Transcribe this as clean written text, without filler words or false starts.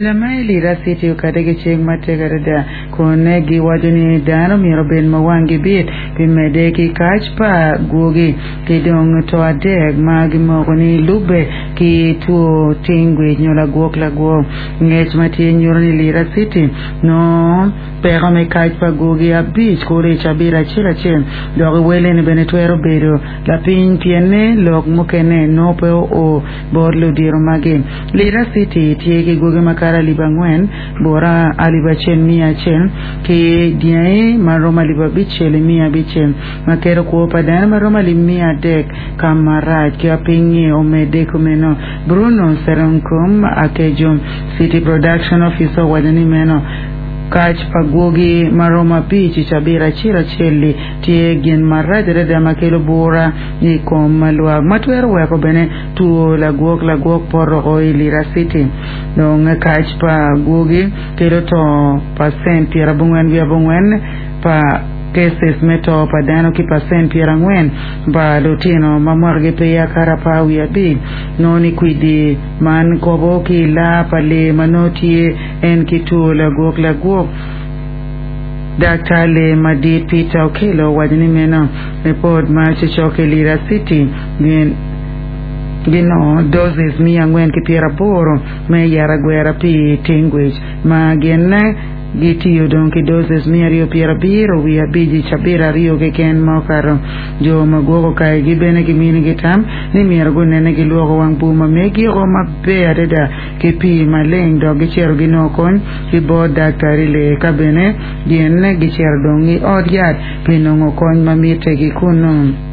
Lama i Lira City okadde ki cik matek adada kun giwaco ni dano myero obed ma wanggi bit pi medde ki kac pa gwogi ki dong to adek ma gimoko ni lubbe ki two tingwic nyo lagwok lagwok. Ngec ma tye nyuto ni Lira City nongo peko me kac pa gwogi abic kulu i cabit acel acel dok wellene bene twero bedo lapiny pienne lok mukene nongo pe oo bot ludito magi. Lira City tye ki gwogi makato 4,000, bura 1,100, ki dyangi ma romo 5,600, ma keto kwo pa dano ma romo 300,000 ka marac. Ki piny-nyi omedde kumeno, Bruno Seronkum Akejo, City Production Officer owaco ni meno kac pa gwogi ma romo abic i cabit acel acel-li tye gin marac adada ma kelo bura i kom lwak ma twero weko bene Two lagwok lagwok poto o i Lira City. Dong kac pa gwogi kelo to pacent 94.4 pa cases me to pa dano ki pacent 40 pa lutino ma mwakagi peya kato 15. Nongo ni kwidi man kobo ki i laa pa lee ma nongo tye en ki two lagwok lagwok. Daktar lee madit Peter Okello owaco ni meno ripot ma cocokke i Lira City gin ginongo doses 480 me yat agwera pi tingwic ma gin gitiyo dong ki doses 275 i cabit aryo keken ma okato. Jo ma gwoko kayigi bene giminigi tam ni myero gunene gilwoko wang bur ma megiko maber adada ki pii maleng dok gicito ginongo kony ki bot daktari lee ka bene gin gicito dong i ot yat pi nongo kony ma mitte ki kunnu.